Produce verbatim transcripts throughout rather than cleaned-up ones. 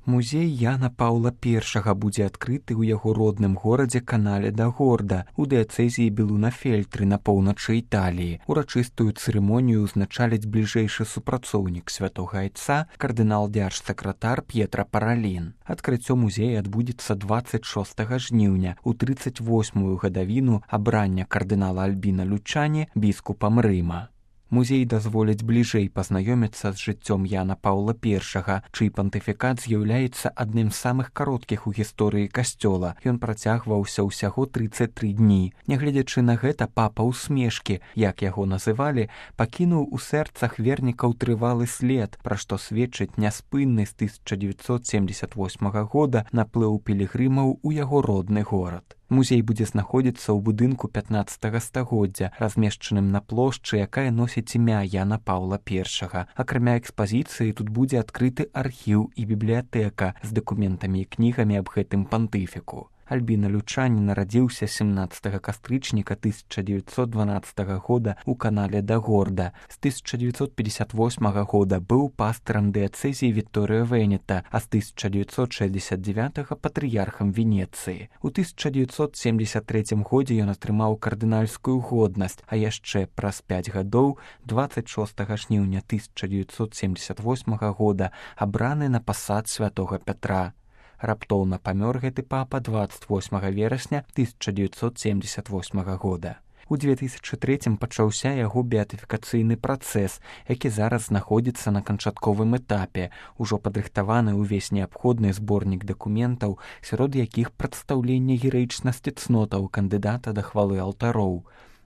Музей Яна Паўла першага будзе адкрыты ў яго родным горадзе Канале да Горда у дыяцэзіі Белунафельтры на поўначы Італіі. Урачыстую цырымонію ўзначаліць бліжэйшы супрацоўнік святога айца, кардынал дзяржсакратар П'етра Паралін. Адкрыццё музея адбудзецца дваццаць шостага жніўня у трыццаць восьмую гадавіну абрання кардынала Альбіна Лючані біскупам Рыма. Музей дазволіць бліжэй пазнаёміцца з жыццём Яна Паўла першага, чый пантыфікат з'яўляецца адным з самых кароткіх у гісторыі касцёла. Ён працягваўся ўсяго трыццаць тры дні. Нягледзячы на гэта, папа ўсмешкі, як яго называлі, пакінуў у сэрцах вернікаў трывалы след, пра што сведчыць няспынны з тысяча дзевяцьсот семдзесят восьмага года наплыў пілігрымаў у яго родны горад. Музей будзе знаходзіцца ў будынку пятнаццатага стагоддзя, размешчаным на плошчы, якая носіць імя Яна Паўла першага. Акрамя экспазіцыі тут будзе адкрыты архіў і бібліятэка з дакументамі і кнігамі аб гэтым пантыфіку. Альбіна Лючані нарадзіўся семнаццатага кастрычніка тысяча дзевяцьсот дванаццатага года ў Канале да Горда. З тысяча дзевяцьсот пятьдесят восьмага года быў пастырам дыяцэзіі Вікторыя Венета, а з тысяча дзевяцьсот шэсцьдзесят дзевятага патрыярхам Венецыі. У тысяча дзевяцьсот семдзесят трэцім годзе ён атрымаў кардынальскую годнасць, а яшчэ праз пяць гадоў, дваццаць шостага жніўня тысяча дзевяцьсот семдзесят восьмага года, абраны на пасад святога Пятра. Раптоўна памёр гэты папа дваццаць восьмага верасня тысяча дзевяцьсот семдзесят восьмага года. У две тысячы трэцім пачаўся яго беатыфікацыйны працэс, які зараз знаходзіцца на канчатковым этапе. Ужо падрыхтаваны ўвесь неабходны зборнік дакументаў, сярод якіх прадстаўленне гераічнасці цнотаў кандыдата да хвалы алтароў.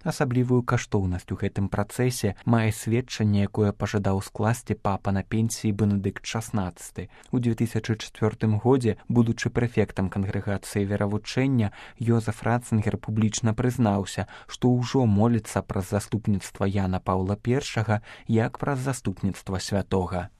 Асаблівую каштоўнасць у гэтым працэсе мае сведчанне, якое пажадаў скласці папа на пенсіі Бенедыкт шаснаццаты. У две тысячы чацвёртым годзе, будучы прэфектам кангрэгацыі веравучэння, Йозеф Ратцынгер публічна прызнаўся, што ўжо моліцца праз заступніцтва Яна Паўла першага як праз заступніцтва святога.